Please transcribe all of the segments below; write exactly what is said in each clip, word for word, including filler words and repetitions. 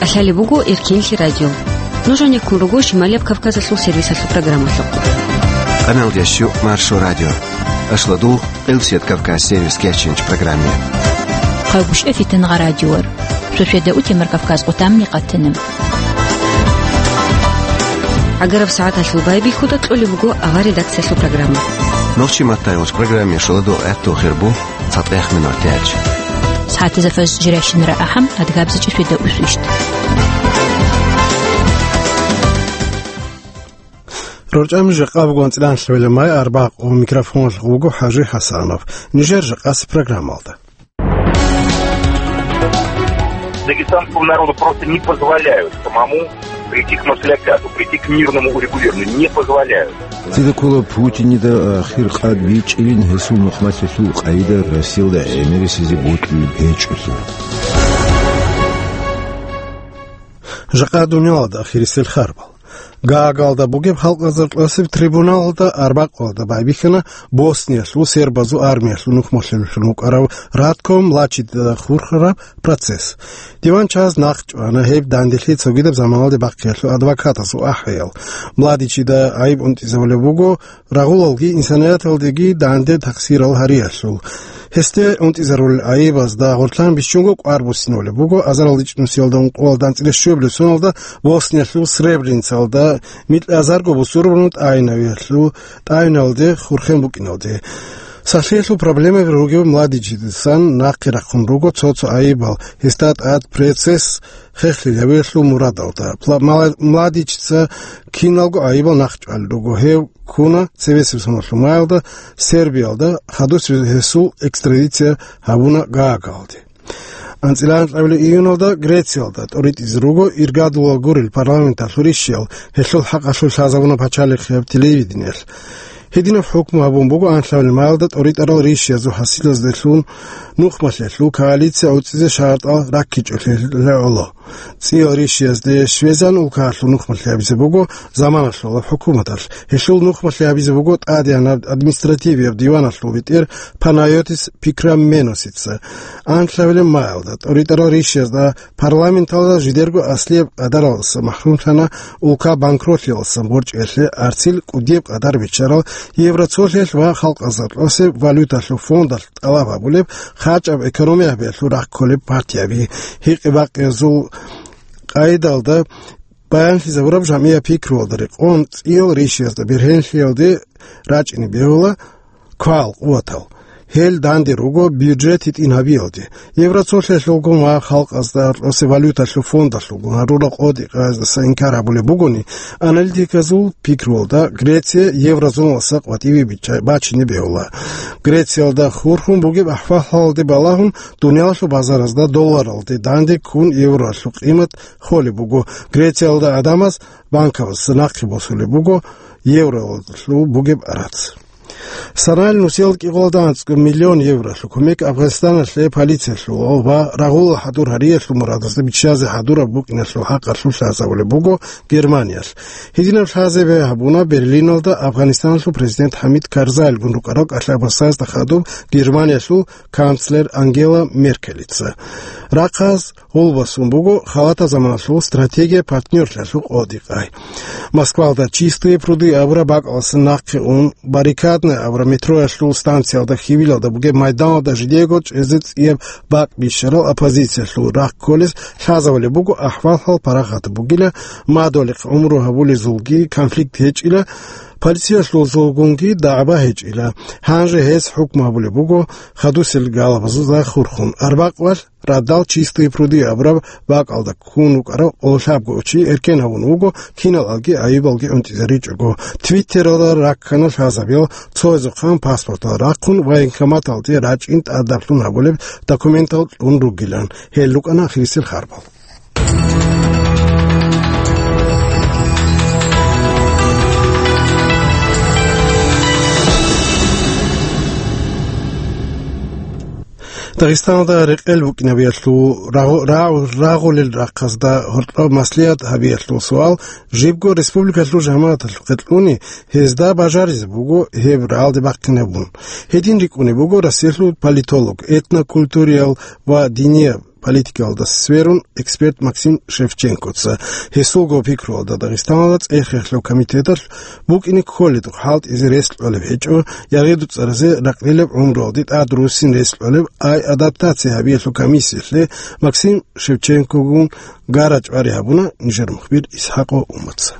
КӀалъалеб буго Эркенлъи радио. Нуж гьанеккун руго Шималияб Кавказалъул сервисалъул программалъухъ. Къаналдеш щу Маршо радио. Ашладул Къилсият Кавказ сервис кечинч программе. Хъагушев Фитангъа радиор. Шошеда утемар Кавказ къутамни къатана. Агараб сагӀаталъул байбихьуда кьолеб буго авар редакциялъул программа. Нохчи маттайгъуч программе шоладо гӀатту хирбу. ЦатӀех минут тяч. СагӀатазда фаз жиращинара ахӀам, адгабзичӀи шведа усвищт. РорчӀами жакъа бугон цӀилан лъвелемай арбакъ ва микрофон вуго ХӀажи ХӀасанов. Нижер жакъаси программалда. Дагестанскому народу просто не позволяют самому прийти к маслякату, прийти к мирному урегулированию. Не позволяют. Цидакула Путинида ахир къад бичӀчӀилин гьесул нухмалъалъул къайда Россиялда гӀемерисезе бокьулеб гьечӀолъи. Жакъа дуниялалда ахирисел харбал. Гаагалда бугеб халкъазар кьасеб трибуналалда арбакъалда байбихьана Босниялъул сербазул армиялъул нухмалъулелъун вукӀарав Ратко Младичида хурхараб процесс. Диван чаз нахъ чӀвана гьеб данделъи цогидаб заманалде бахъиялъул адвокатазул ахӀиял. Младичида гӀайиб унтӀизабулеб буго рагъулалги инсанияталдеги данде тахсирал гьариялъул. Гьесде унтӀизарулел гӀайибазда гъорлъан бищунго кӀвар буссинулеб буго азаралда ичӀнусиялда ункъоялда анцӀила щуабилеб соналда Босниялъул Сребреницалда микьазарго бусурбанал тӀайинавиялъул тӀайиналде хурхен букӀиналде. Сахлъиялъул проблемаби ругев Младичидасан нахъе рахъун руго цо-цо гӀайибал, гьесда тӀад процесс хехлъи гьавиялъул мурадалда. Пла-, Мала-, Младичица киналго гӀайибал нахъ чӀвалел руго. Гьев ккуна цебесеб соналъул маялда, Сербиялда, хадусеб гьесул экстрадиция гьабуна Гаагалде. АнцӀила анкьабилеб июналда Грециялда тӀоритӀизе руго иргадулал гурел парламенталъул ришиял, гьелъул хӀакъалъулъ лъазабуна пачалихъияб телевидениялъ. Гьединаб хӀукму гьабун буго анлъабилеб маялда тӀоритӀарал ришиязул хӀасилазделъун нухмалъиялъул коалиция гӀуцӀизе шартӀал раккичӀолъи гӀоло. ЦӀиял ришиязде щвезан улкаялъул нухмалъи гьабизе буго заманалъулаб хӀукуматалъ. Гьелъул нухмалъи гьабизе буго тӀадегӀанаб административияб диваналъул бетӀер Панайотис Пикраменосица. Анлъабилеб маялда тӀоритӀарал ришиязда парламенталда жидерго аслияб къадаралдаса махрумлъана улка банкротлъиялдасан борчӀиялъе арцил кӀудияб къадар биччарал Евроцолъиялъ ва халкъазда кьосеб валюталъул фондалъ тӀалаб гьабулеб, хъачӀаб экономия гьабиялъул рахъ кколеб партияби. Гьикъи-бакъиязул къайдалда баянлъизабураб жамгӀияб пикруялда рекъон, цӀиял ришиязда бергьенлъиялде рачӀине бегьула квал-къуватал. Гьел данде руго бюджет гьитӀин гьабиялде. Евроцолъиялъулгун ва халкъазда кьосеб валюталъул фондалъулгун гьарурал къотӀи-къаздаса инкар гьабулеб бугони, аналитиказул пикруялда Греция еврозоналдаса къватӀиве бича-, бачине бегьула. Грециялда хурхун бугеб ахӀвал-хӀалалде балагьун, дуниялалъул базаразда долларалде данде ккун евроялъул къимат холеб буго. Грециялда гӀадамаз банкабазда нахъе босулеб буго евроялъул бугеб арац. Санал нусиялда кӀикъоялда анцӀго миллион евролъул кумек Афганистаналъе полициялъул ва рагъулал хӀадур гьариялъул мурадазда биччазе хӀадураб букӀиналъул хӀакъалъулъ лъазабулеб буго Германиялъ. Гьединаб лъазабе гьабуна Берлиналда Афганистаналъул президент ХӀамид Карзайилгун рукӀарал кӀалъабасазда хадуб Германиялъул канцлер Ангела Меркелица. Рахъаз гъулбасун буго халатаб заманалъул стратегия партнёрлъиялъул къотӀи-къай. Москвалда «Чистые пруды» абураб бакӀалдаса нахъе ун, Баррикадная абураб метроялъул станциялда хьивилалда бугеб майданалда жидего чӀезе цӀияб бакӀ бищарал оппозициялъул рахъ кколез лъазабулеб буго, ахӀвал-хӀал парахат бугила, мадугьалихъ гӀумру гьабулезулги конфликт гьечӀила, полициялъулзулгунги дагӀба гьечӀила. Гьанже гьес хӀукму гьабулеб буго хадусел галабазда хурхун. Арбакъвалъ радал «Чистые пруды» абураб бакӀалда ккун вукӀарав гъолъабго чи эркен гьавун вуго, киналалги гӀайибалги унтӀизаричӀого. Твиттералда раккана лъазабиял цоязухъан паспортал рахъун военкоматалде рачӀин тӀадаблъун гьабулеб документал кьун ругилан. Гьел рукӀана ахирисел харбал. Дагъистаналда рекъел букӀинабиялъул рагъу-, рагъу-, рагъулел рахъазда гьоркьоб маслигьат гьабиялъул суал жибго республикалъул жамагӀаталъухъе кьуни, гьезда бажаризе буго гьеб рагӀалде бахъинабун. Гьедин рикӀкӀунеб буго Россиялъул политолог, этнокультуриял ва динияб политикалда сверун эксперт Максим Шевченкоца. Гьесулго пикруялда Дагъистаналда цӀех-рехлъаб комитеталъ букӀине кколедухъ хӀалтӀизе рес кьолеб гьечӀо, ягъи дуцӀаразе ракълилаб гӀумруялде тӀад руссин рес кьолеб, ай адаптация гьабиялъул комиссиялъе Максим Шевченкогун гара-чӀвари гьабуна нижер мухбир Исхакъов Умаца.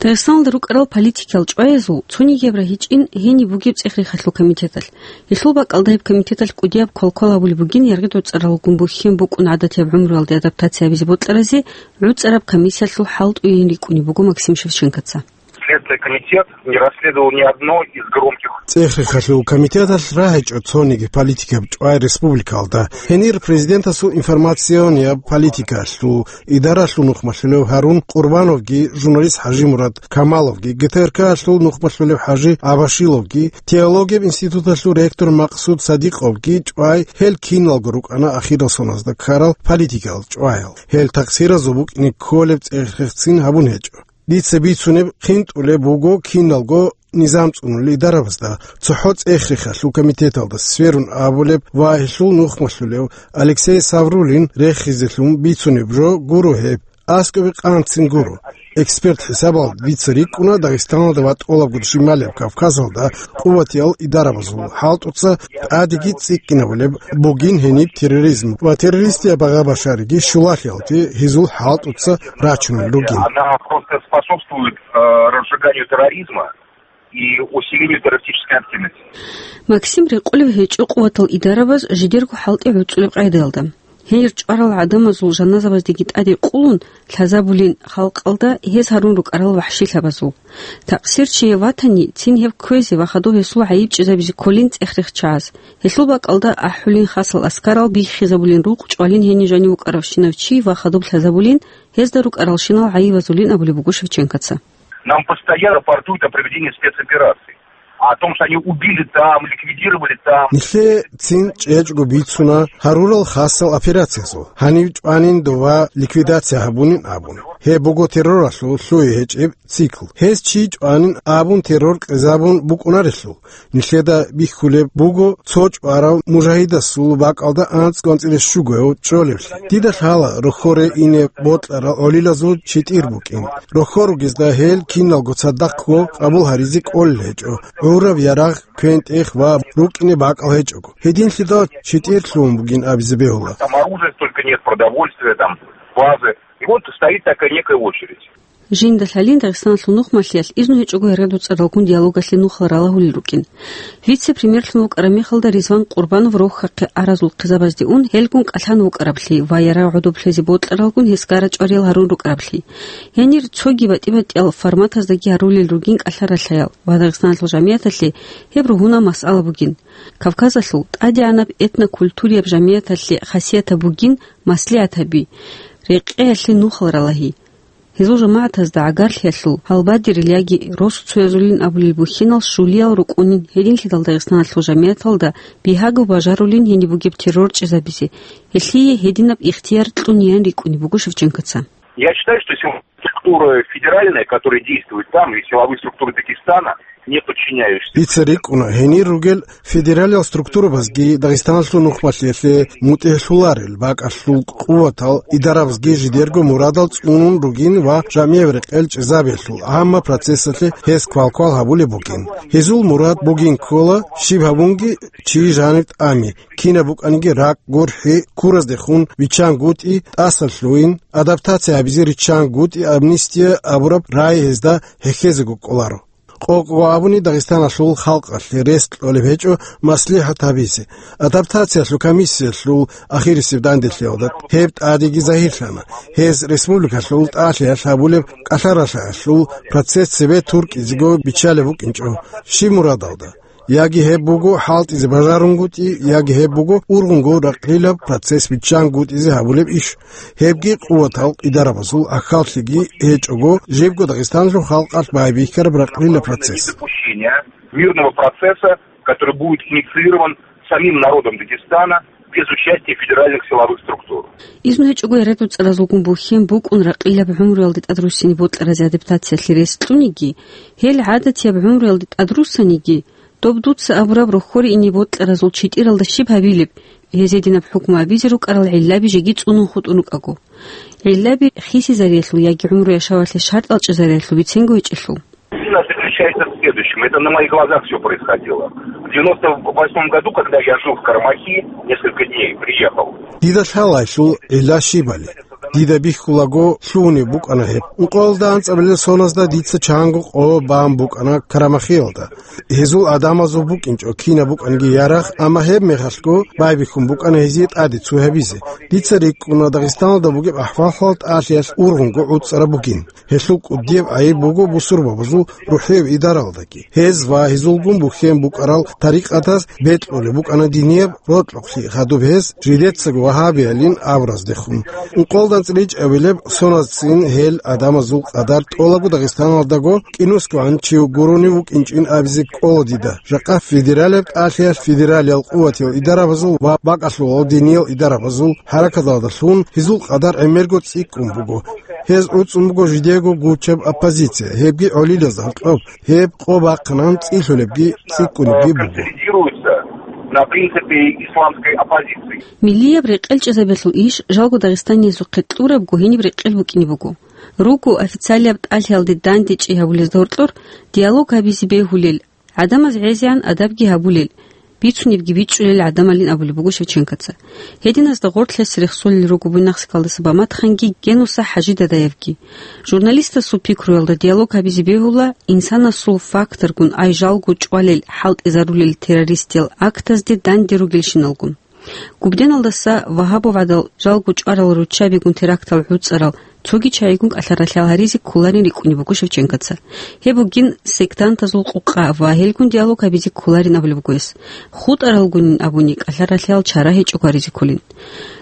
Дагъистаналда рукӀарал политикиял чӀваязул цонигияр рагьичӀин гьениб бугеб цӀех-рехалъул комитеталъ. Гьелъул бакӀалда гьеб комитеталъ кӀудияб квалквал гьабулеб бугин яргъидоцӀаралгун бухьен букӀун гӀадатияб гӀумруялде адаптация гьабизе бокьаразе гӀуцӀараб комиссиялъул хӀалтӀуян рикӀкӀунеб буго Максим Шевченкоца. Следственный комитет не расследовал ни одно из громких. ЦӀех-рехалъул комитеталъ рагьичӀо цониги политикаб чӀвай республикалда. Гьенир президентасул информационияб политикалъул идаралъул нухмалъулев Гьарун Къурбановги, журналист ХӀажимурад Камаловги, ГТРК-алъул нухмалъулев ХӀажи Абашиловги, теологияб институталъул ректор Максуд Садикъовги чӀвай, гьел киналго рукӀана ахирал соназда ккарал политикал чӀваял. Гьел такъсиразул букӀине кколеб цӀех-рехцин гьабун гьечӀо. Дица бицунеб хинтӀулеб буго киналго низам цӀунулел идарабазда, цохӀо цӀех-рехалъул комитеталда сверун абулеб ва гьелъул нухмалъулев Алексей Саврулин рехизелъун бицунеб жо гуро гьеб, аскӀобе къанцин гуро. Эксперт хӀисабалда дица рикӀкӀуна Дагъистаналда ва тӀолабго щибаб Кавказалда къуватиял идарабазул хӀалтӀуца тӀадеги цӀикӀкӀинабулеб бугин гьениб терроризм ва террористияб багъа-башариги щулалъиялде гьезул хӀалтӀуца рачунел ругин. Она просто способствует, э, разжиганию терроризма и усилению террористической активности. Максим рекъолеб гьечӀо къуватал идарабаз жидерго хӀалтӀи гӀуцӀулеб къайдаялда. Гьенир чӀварал гӀадамазул жаназабаздеги тӀаде къулун лъазабулин халкъалда гьез гьарун рукӀарал вахӀшилъабазул. Такъсирчияв ватани, цин гьев кквезе ва хадуб гьесул гӀайиб чӀезабизе кколин цӀех-рехчагӀаз. Гьелъул бакӀалда ахӀулин хасал аскарал, биххизабулин рукъ, чӀвалин гьенив жанив вукӀаравщинав чи ва хадуб лъазабулин, гьезда рукӀаралщинал гӀайибазулин абулеб буго Шевченкоца. Нам постоянно рапортуют о проведении спецоперации, о том, что они убили там, ликвидировали там. Нилъее цин чӀечӀго бицуна гьарурал хасал операциязул, гьанив чӀванин дова ликвидация гьабунин абун. Гьеб буго терроралъул лъугьи гьечӀеб цикл. Гьез чи чӀванин абун террор къезабун букӀунарелъул, нилъеда бихьулеб буго цо чӀварав мужагьидасул бакӀалда анцӀго-анцӀила щуго чӀолевлъи. Дида лъала рохьоре ине бокьарал гӀолилазул читӀир букӀин. Рохьор ругезда гьел киналго цадахъго къабул гьаризе кӀолел гьечӀо. ГӀураб ярагъ квен-тӀех ва рукӀине бакӀал гьечӀого. Гьединлъидал читӀир лъугьун бугин абизе бегьула. Там оружия столько нет, продовольствия, там, базы. И вот стоит такая некая очередь. Жинда лъалин Дагъистаналъул нухмалъиялъ изну гьечӀого яргъидоцӀаралгун диалогалъе нухал ралагьулел рукӀин. Вице-премьерлъун вукӀараб мехалда Ризван Къурбанов рохьахъе аразул хъизабазде ун, гьелгун кӀалъан вукӀараблъи ва ярагъ гӀодоб лъезе бокьаралгун гьес гара-чӀвариял гьарун рукӀараблъи. Гьенир цоги батӀи-батӀиял форматаздаги гьарулел ругин кӀалъа-ралъаял ва Дагъистаналъул жамигӀаталъе гьеб ругьунал масъала бугин. Кавказалъул тӀадегӀанаб этнокультурияб жамигӀаталъе хасиятаб бугин маслигӀатаби, рекъеялъе нухал ралагьи. Гьезул жамагӀатазда гӀагарлъиялъул гьалбадерил яги росуцоязулин абулел бухьинал щулиял рукӀунин, гьединлъидал Дагъистаналъул жамигӀаталда бигьаго бажарулин гьениб бугеб террор чӀезабизе, гьелъие гьединаб ихтияр кьуниян рикӀкӀунеб буго Шевченкоца. Я считаю, что силовые структуры федеральные, которые действуют там, и силовые структуры Дагестана, не подчиняющиеся. Дица рикӀкӀуна, гьенир ругел федералиял структурабазги Дагъистаналъул нухмалъиялъе мутӀигӀлъуларел бакӀалъул къуватал идарабазги жидерго мурадал цӀунун ругин ва жамигӀ рекъел чӀезабиялъул гӀамма процессалъе гьез квалквал гьабулеб бугин. Гьезул мурад бугин ккола щиб гьабунги чи жанив тӀами, кинаб букӀаниги ракӀ, гурхӀи, ккураздехун виччангутӀи, тӀасалъугьин, адаптация гьабизе риччангутӀи, амнистия абураб рагӀи гьезда хӀехьезего кӀоларо. Къокъго абуни, Дагъистаналъул халкъалъе рес кьолеб гьечӀо маслихӀат гьабизе. Адаптациялъул комиссиялъул ахирисеб данделъиялда гьеб тӀадеги загьирлъана. Гьез республикалъул тӀалъиялъ гьабулеб кӀалъа-ралъаялъул процесс цебе туркӀизего биччалеб букӀинчӀо. Щиб мурадалда? Яги гьеб буго хӀалтӀизе бажарунгутӀи, яги гьеб буго ургъунго ракълилаб процесс биччангутӀизе гьабулеб иш. Гьебги къуватал идарабазул ахӀаллъиги гьечӀого, жибго Дагъистаналъул халкъалъ байбихьараб ракълила процесс. Допущения мирного процесса, который будет инициирован самим народом Дагестана без участия федеральных силовых структур. Изну гьечӀого яргъидоцӀаралгун бухьен букӀун ракълилаб гӀумруялде тӀадруссине бокьаразе адаптациялъе рес кьуниги, гьел гӀадатияб гӀумруялде тӀадруссаниги, доб дуца абураб рохьоре ине бокьаразул читӀиралда щиб гьабилеб, гьез гьединаб хӀукму абизе рукӀарал гӀиллаби жеги цӀунун хутӀун рукӀаго. ГӀиллаби хисизариялъул яги гӀумру-яшавалъе шартӀал чӀезариялъул биценго гьечӀелъул. Причина заключается в следующем. Это на моих глазах всё происходило. В девяносто восьмом году, когда я жил в Карамахи, несколько дней, приехал. Дида лъалайлъул гӀилла щибали. Дида бихьулаго лъугьунеб букӀана гьеб. Ункъоялда анцӀабилел соназда дица чанго къо бан букӀана Карамахиялда. Гьезул гӀадамазул букӀинчӀо кинаб букӀанги ярагъ, амма гьеб мехалъго байбихьун букӀана гьезие тӀаде цо гьабизе. Дица рикӀкӀуна Дагъистаналда бугеб ахӀвал-хӀал тӀалъиялъ ургъунго гӀуцӀараб бугин. Гьелъул кӀудияб гӀайиб буго бусурбабазул рухӀияб идаралдаги. Гьез ва гьезулгун бухьен букӀарал тарикъатаз бекьулеб букӀана динияб рокьукълъи хадуб гьез, жидецаго вагьабиялин абураздехун. Ункъоялда анцӀила ичӀабилеб соназцин гьел гӀадамазул къадар тӀолаго Дагъистаналдаго кӀинусгогӀан чи гурони вукӀинчӀин абизе кӀола дида. Жакъа федералияб тӀалъиялъ федералиял къуватиял идарабазул ва бакӀалъулал диниял идарабазул хӀаракаталдалъун гьезул къадар гӀемерго цӀикӀкӀун буго. Гьез гӀуцӀун буго жидего гучаб оппозиция, гьебги гӀолилаз гьоркьоб, гьеб къо бахъинан цӀилъулебги цӀикӀкӀунебги буго. Консолидируется на принципе исламской оппозиции. Миллияб рекъелчӀезабиялъул иш жалго дагъистаниязухъе кьурабго гьениб рекъел букӀине буго. Руго официалияб тӀалъиялде дандечӀей гьабулезда гьоркьор диалог гьабизе бегьулел, гӀадамаз гӀезегӀан адабги гьабулел, бицунебги бичӀчӀулел гӀадамалин абулеб буго Шевченкоца. Гьединазда гъорлъ гьес рехсолел руго Буйнакскалдаса Баматханги Генуса ХӀажи Дадаевги. Журналистасул пикруялда диалог гьабизе бегьула, инсанасул факторгун ай жалго чӀвалел хӀалтӀизарулел террористиял актазде данде ругелщиналгун. Губденалдаса вагьабовгӀадал жалго чӀварал руччабигун терактал гӀуцӀарал цоги чагӀигун кӀалъа-ралъал гьаризе кколарин рикӀкӀунеб буго Шевченкоца. Гьеб бугин сектантазул къукъа ва гьелгун диалог гьабизе кколарин абулеб буго гьес. ХутӀаралгунин абуни кӀалъа-ралъал чара гьечӀого гьаризе кколин.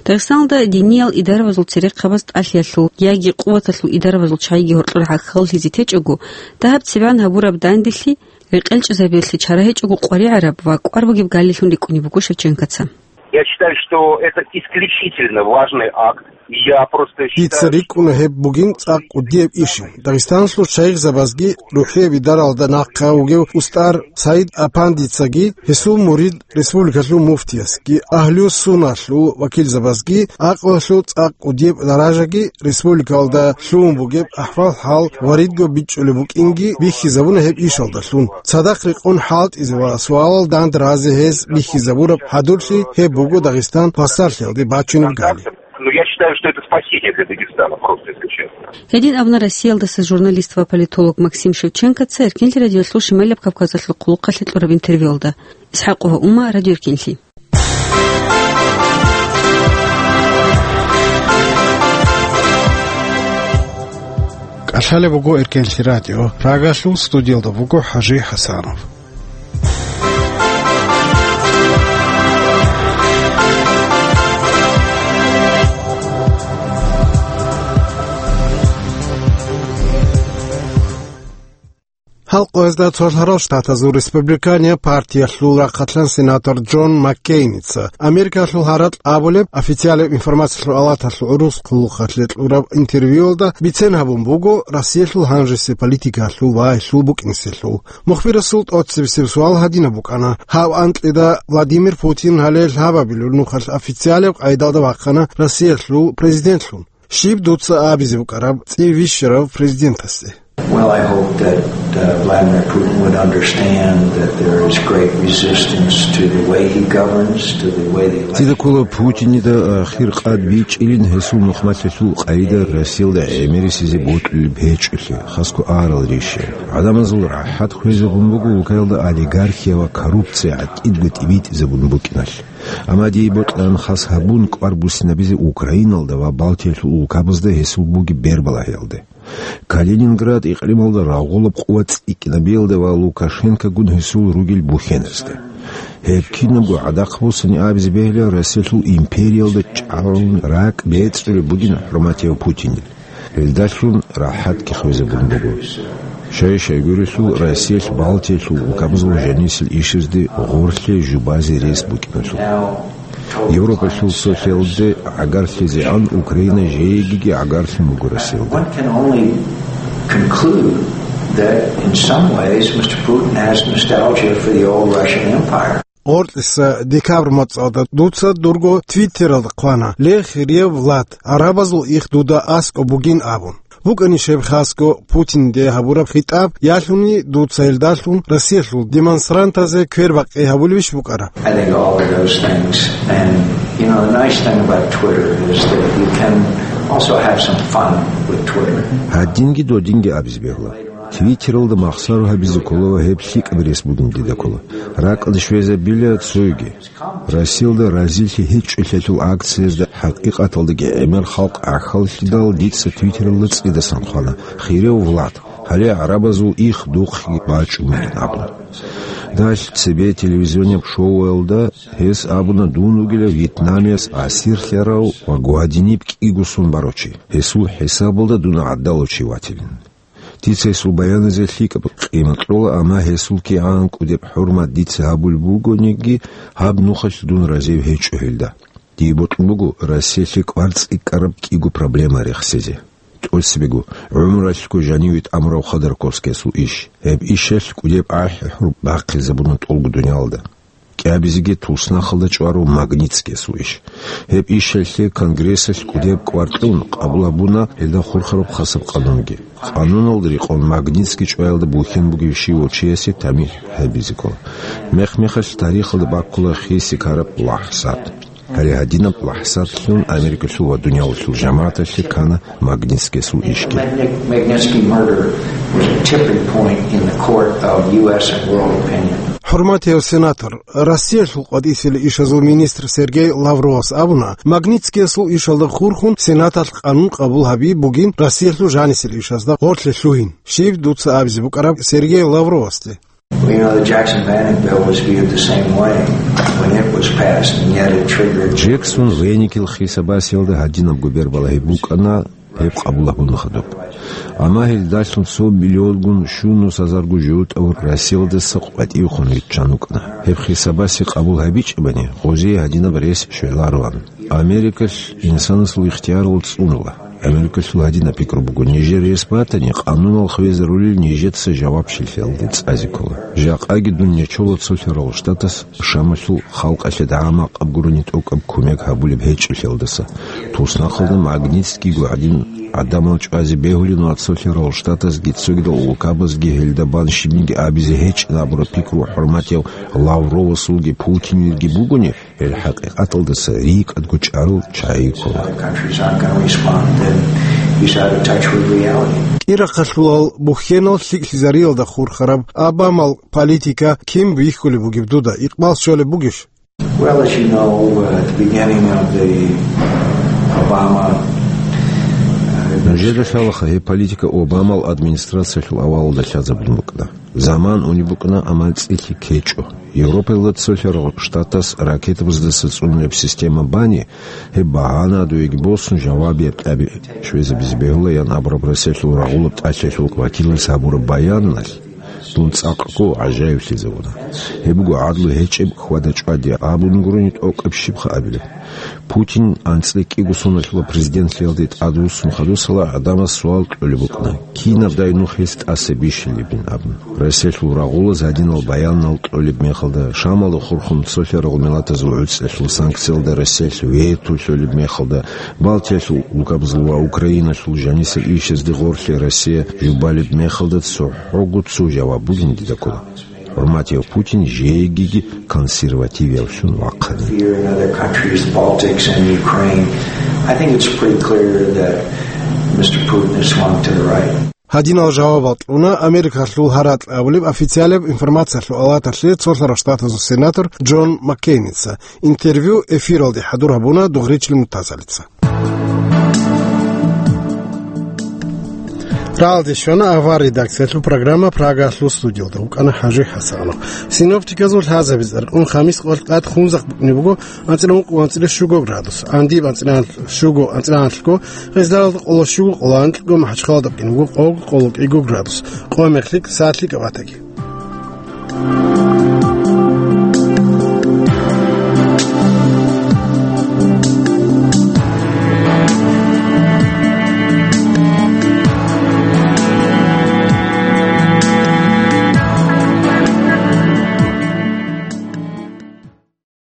Дагъистаналда диниял идарабазул церехъабаз тӀалъиялъул яги къуваталъул идарабазул чагӀиги гьоркьор гӀахьаллъизе течӀого, дагьаб цебегӀан гьабураб данделъи рекъелчӀезабиялъе чара гьечӀого къваригӀараб ва кӀвар бугеб галилъун рикӀкӀунеб буго Шевченкоца. Я считаю, что это исключительно важный акт. Я просто считаю, Дица рикӀкӀуна гьеб бугин цӀакъ кӀудияб ишин. Дагъистаналъул шайихзабазги рухӀияб идаралда нахъа вугев устар Саид Апандицаги, гьесул мурид республикалъул муфтиясги, агьлу-сунналъул вакилзабазги, гӀакълалъул цӀакъ кӀудияб даражаги республикалда лъугьун бугеб ахӀвал-хӀал ва ридго бичӀчӀулеб букӀинги бихьизабуна гьеб ишалдалъун. Цадахъ рекъон хӀалтӀизе ва суалал дандразе гьез бихьизабураб хӀадурлъи гьеб буго Дагъистан хвасарлъиялде бачунеб гали. Ну, я считаю, что это спасение для Дагестана, просто если честно. Гьедин абуна Россиялдаса журналист ва политолог Максим Шевченкоца Эркенлъи радиолъул Шималаб Кавказалъул хъулухъалъе кьураб интервьюялда. Исхакова Ума, Радио Эркенлъи. КӀалъалеб буго Эркенлъи радио. Прагалъул студиялда буго ХӀажи ХӀасанов. Гьал къоязда цолъарал штатазул республиканияб партиялъул рахъалъан сенатор Джон Маккейница Америкалъул гьаракь абулеб официалияб информациялъул алаталъул гӀурус хъулухъалъе кьураб интервьюялда бицен гьабун буго Россиялъул гьанжеси политикалъул ва гьелъул букӀинеселъул. Мухбирасул тӀоцебесеб суал гьадинаб букӀана: гьав анкьида Владимир Путин гьале лъабабилеб нухалъ официалияб къайдалда вахъана Россиялъул президентлъун. Щиб дуца абизе букӀараб цӀи вищарав президентасде? Well, I hope that, uh, Vladimir Putin would understand that there is great resistance to the way he governs, to the way the election. Дида ккола Путинида ахир къад бичӀчӀилин гьесул нухмалъулъул къайда Россиялда гӀемерисезе бокьулеб гьечӀолъи, хасго арал рища. ГӀадамазул рахӀат хвезабун буго улкаялда олигархия ва коррупция гӀатӀидго тӀибитӀизабун букӀиналъ. Амма дие бокьараб хас гьабун кӀвар буссинабизе Украиналда ва Балтиялъул улкабазда гьесул бугеб бербалагьиялда. Калининград икълималда рагъулаб къуват цӀикӀкӀинабиялда ва Лукашенкогун гьесул ругел бухьеназда. Гьеб кинабго гӀадахъ буссани абизе бегьила Россиялъул империялда чӀалгӀун ракӀ бецӀулеб бугин хӀурматияв Путинил. Гьелдалъун рахӀатги хвезабун буго. Щай-щайгурелъул Россиялъ Балтиялъул улкабазул жанисел ишазде гъорлъе жубазе рес букӀиналъул. Европалъул цолъиялде гӀагарлъизегӀан Украина жеегиги гӀагарлъун буго Россиялда. One can only conclude that in some ways Mister Putin has nostalgia for the old Russian Empire. гъоркьиса декабрь моцӀалда дуца дурго Твиттералда хъвана: «Ле, хирияб Влад, гӀарабазул их дуда аскӀоб бугин», – абун. БукӀанищ гьеб хасго Путинде гьабураб хитӀаб, ялъуни дуца гьелдалъун Россиялъул демонстрантазе квербакъи гьабулебищ букӀараб? I think all of those things. And, you know, the nice thing about Twitter is that you can also have some fun with Twitter. Гьадинги додинги абизе бегьула. Твиттералда махсаро гьабизе ккола ва гьеб лъикӀаб рес бугин дида ккола. РакӀалде щвезабила цоги. Россиялда разилъи гьечӀолъиялъул акциязда хӀакъикъаталдаги гӀемер халкъ гӀахьаллъидал, дица Твиттералда цӀидасан хъвана: «Хирияв Влад, гьале гӀарабазул их духъги бачӀун бугин», – абун. Далъ цебе телевизионияб шоуялда гьес абуна дун вугилав Вьетнамияс асирлъарав ва гвадиниб кӀиго сон барав чи. Гьесул хӀисабалда дун гӀадалав чи ватилин. Дица гьесул баяназе лъикӀаб къимат кьола, амма гьесул кигӀан кӀудеб хӀурмат дица гьабулеб бугониги, гьаб нухалъ дун разив гьечӀо гьелда. Дие бокьун буго Россиялъе кӀвар цӀикӀкӀараб кӀиго проблема рехсезе. ТӀоцебего, гӀумралъго жаниве тӀамурав Ходорковскиясул иш. Гьеб ишалъ кӀудеб ахӀи-хӀур бахъизабуна тӀолго дуниялда. КӀиабизеги туснахалда чӀварав Магнитскиясул иш. Гьеб ишалъе Конгрессалъ кӀудеб кӀвар кьун къабул гьабуна гьелда хурхараб хасаб къанунги. Къануналда рекъон Магнитский чӀваялда бухьен бугев щивав чиясе тамихӀ гьабизе ккола. Мех-мехалъ тарихалда баккула хиси ккараб лахӀзат. Гьале гьадинаб лахӀзатлъун Америкалъул ва дуниялалъул жамагӀаталъе ккана Магнитскиясул ишги. Magnitsky murder was a tipping point in the court of U S and world opinion. ХӀурматияв сенатор, Россиялъул къватӀисел ишазул министр Сергей Лавровас абуна, Магнитскиясул ишалда хурхун Сенаталъ къанун къабул гьаби бугин Россиялъул жанисел ишазда гъорлъе лъугьин. Щиб дуца абизе букӀараб Сергей Лавровасде? Well, you know, the Jackson Banning bill was viewed the same way when it was passed, and yet it triggered Джексон Веникил хисабасиялда гьадинабго бербала гьеб букӀана, гьеб къабул гьабуна хадуб. Амма гьелдалъун цо миллионгун щунус гьазарго жо тӀавур Россиялдаса къватӀивхун виччан вукӀана. Гьеб хисабаси къабул гьабичӀебани, гъозие гьадинаб рес щвелароан. Америкалъ инсанасул ихтиярал цӀунула. Америкалъул гьадинаб пикру буго: нижер рес батани, къанунал хвезарулел нижеца жавабчилъиялде цӀазе ккола. Жакъаги дун нечола цолъарал Штатас Шамалъул халкъалъе дагӀа-макъаб гурони тӀокӀаб кумек гьабулеб гьечӀолъиялдаса. Туснахъалда Магнитскийго гӀадин гӀадамал чӀвазе бегьулин ва цолъарал Штатазги цогидал улкабазги гьелда бан щибниги абизе гьечӀин абураб пикру хӀурматияв Лавровасулги Путинилги бугони, гьел хӀакъикъаталдаса рикӀкӀадго чӀарал чагӀи ккола. Other countries aren't gonna respond, then he's out of touch with reality. КӀирахъалъулал бухьенал лъикӀлъизариялда хурхараб Обамал политика кин бихьулеб бугеб дуда, икъбал щолеб бугищ? Well, as you know, uh, at the beginning of the Obama, uh, Нужеда лъалаха, гьеб политика Обамал администрациялъул авалалда лъазабун букӀана. Заман унеб букӀана, амма цӀилъи ккечӀо. Европаялда цолъарал Штатас ракетабаздаса цӀунулеб система бани, гьеб багьана гьадуеги босун, жавабияб тӀаби щвезабизе бегьула, ян абураб Россиялъул рагъулаб тӀалъиялъул вакилас гьабураб баяналъ дун цӀакъго гӀажаиблъизабуна. Гьеб буго гӀадлу гьечӀеб хьвада-чӀвади абун гурони тӀокӀаб щибха абилеб. Путин анцӀила кӀиго соналъула президентлъиялде тӀадвуссун хадусала гӀадамаз суал кьолеб букӀана: кинабдай нух гьес тӀаса бищилебин абун. Россиялъул рагъулаз гьадинал баянал кьолеб мехалда, Шамалда хурхун цолъарал миллатазул гӀуцӀиялъул санкциялда Россиялъ вето лъолеб мехалда, Балтиялъул улкабазул ва Украиналъул жанисел ишазде гъорлъе Россия жубалеб мехалда цохӀого цо жаваб бугин дида ккола. ХӀурматияв Путин жеги консервативявлъун вахъани. Fear in other countries, the Baltics and Ukraine. I think it's pretty clear that Mister Putin has swung to the right. Гьадинал жавабал кьуна Америкалъул гьаракь абулеб официалияб информациялъул палаталъе цолъарал штатазул сенатор Джон Маккейница. Интервью эфиралде хӀадур гьабуна Дугъричил Мутазалица. Рагьалде щвана авар редакциялъул программа, Прагалъул студиялда вукӀана ХӀажи ХӀасанов. Синоптиказул лъазабиз аркьун хамис къвалкъат хунзахъ букӀине буго анцӀила ункъго анцӀила щуго градус, Андиб анцӀила щуго анцӀила анлъго, Гъездагалда къоло щуго къоло анкьго, МахӀачхъаладаб кӀине буго къого къоло кӀиго градус, къо-мех лъикӀ, сад лъикӀаб батаги.